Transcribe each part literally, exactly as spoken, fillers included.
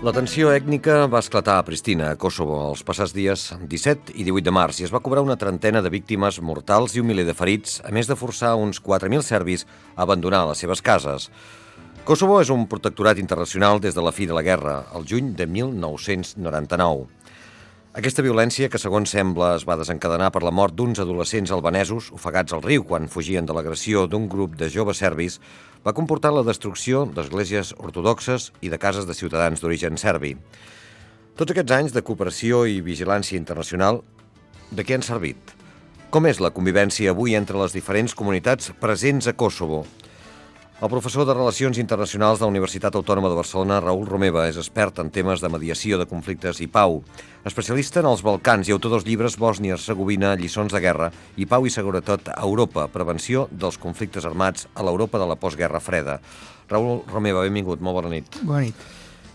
La tensió ètnica va esclatar a Pristina, a Kosovo, els passats dies disset i divuit de març, i es va cobrar una trentena de víctimes mortals i un miler de ferits, a més de forçar uns quatre mil serbis a abandonar les seves cases. Kosovo és un protectorat internacional des de la fi de la guerra, el juny de mil nou-cents noranta-nou. Aquesta violència, que segons sembla es va desencadenar per la mort d'uns adolescents albanesos ofegats al riu quan fugien de l'agressió d'un grup de joves serbis, va comportar la destrucció d'esglésies ortodoxes i de cases de ciutadans d'origen serbi. Tots aquests anys de cooperació i vigilància internacional, de què han servit? Com és la convivència avui entre les diferents comunitats presents a Kosovo? El professor de Relacions Internacionals de la Universitat Autònoma de Barcelona, Raül Romeva, és expert en temes de mediació de conflictes i pau, especialista en els Balcans i autor dels llibres Bòsnia-Hercegovina, lliçons de guerra i pau i seguretat a Europa, prevenció dels conflictes armats a l'Europa de la postguerra freda. Raül Romeva, benvingut, molt bona nit. Bona nit.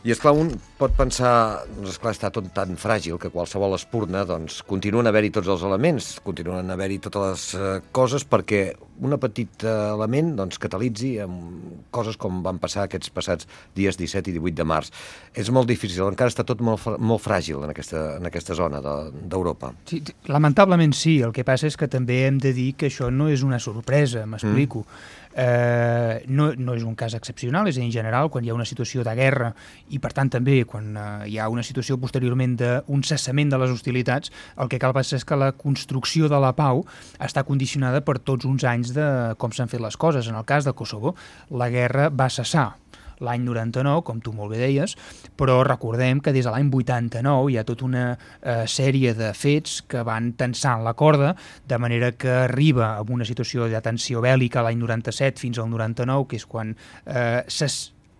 I, esclar, un pot pensar, doncs, esclar, està tot tan fràgil que qualsevol espurna, doncs, continuen a haver-hi tots els elements, continuen a haver-hi totes les eh, coses perquè un petit eh, element, doncs, catalitzi amb coses com van passar aquests passats dies disset i divuit de març. És molt difícil, encara està tot molt, molt fràgil en aquesta, en aquesta zona d'Europa. De, sí, lamentablement sí, el que passa és que també hem de dir que això no és una sorpresa, m'explico. Mm. Eh, no, no és un cas excepcional, és a dir, en general, quan hi ha una situació de guerra i, per tant, també quan eh, hi ha una situació posteriorment d'un cessament de les hostilitats, el que cal passar és que la construcció de la pau està condicionada per tots uns anys de com s'han fet les coses. En el cas de Kosovo, la guerra va cessar l'any noranta-nou, com tu molt bé deies, però recordem que des de l'any vuitanta-nou hi ha tota una eh, sèrie de fets que van tensant la corda, de manera que arriba a una situació de tensió bèl·lica l'any noranta-set fins al noranta-nou, que és quan eh,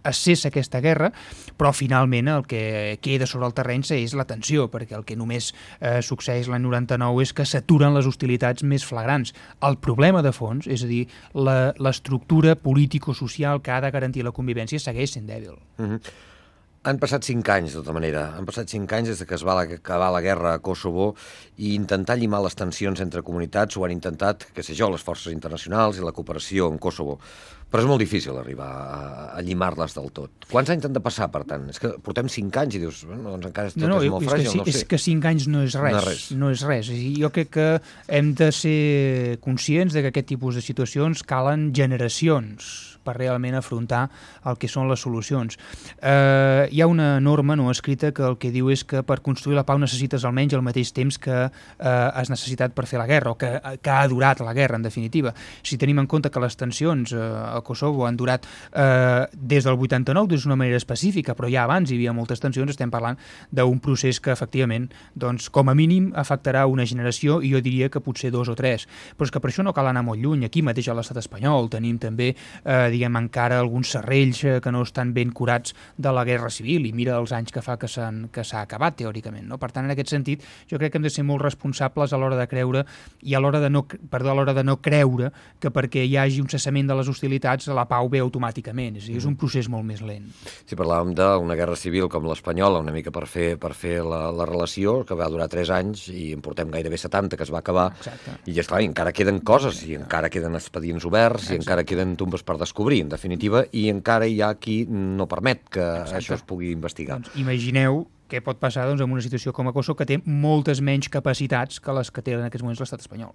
es cessa aquesta guerra, però finalment el que queda sobre el terreny és la tensió, perquè el que només eh, succeeix l'any noranta-nou és que s'aturen les hostilitats més flagrants. El problema de fons, és a dir, l'estructura político-social que ha de garantir la convivència segueix sent dèbil. Mm-hmm. Han passat cinc anys, de tota manera. Han passat cinc anys des que es va acabar la guerra a Kosovo i intentar llimar les tensions entre comunitats ho han intentat, què sé jo, les forces internacionals i la cooperació en Kosovo. Però és molt difícil arribar a, a llimar-les del tot. Quants anys han de passar, per tant? És que portem cinc anys i dius, bueno, doncs encara tot no, no, és molt és fràgil, que, no sé. És que cinc anys no és res, no és res. No és res. Jo crec que hem de ser conscients de que aquest tipus de situacions calen generacions per realment afrontar el que són les solucions. Eh, hi ha una norma no escrita que el que diu és que per construir la pau necessites almenys el mateix temps que eh, has necessitat per fer la guerra, o que, que ha durat la guerra, en definitiva. Si tenim en compte que les tensions eh, a Kosovo han durat eh, des del vuitanta-nou d'una manera específica, però ja abans hi havia moltes tensions, estem parlant d'un procés que efectivament, doncs, com a mínim afectarà una generació, i jo diria que potser dos o tres. Però és que per això no cal anar molt lluny. Aquí mateix a l'estat espanyol tenim també eh, diguem, encara alguns serrells que no estan ben curats de la guerra civil, i mira els anys que fa que s'ha acabat, teòricament. No? Per tant, en aquest sentit, jo crec que hem de ser molt responsables a l'hora de creure i a l'hora de, no, perdó, a l'hora de no creure que perquè hi hagi un cessament de les hostilitats la pau ve automàticament. És a dir, és un procés molt més lent. Si parlàvem d'una guerra civil com l'espanyola, una mica per fer, per fer la, la relació, que va durar tres anys i en portem gairebé setanta, que es va acabar. Exacte. I esclar, encara queden coses, i encara queden expedients oberts, Exacte. I encara queden tombes per descobrir, en definitiva, i encara hi ha qui no permet que Exacte. Això es pugui investigar. Doncs imagineu què pot passar doncs, en una situació com a Kosovo, que té moltes menys capacitats que les que té en aquests moments l'estat espanyol.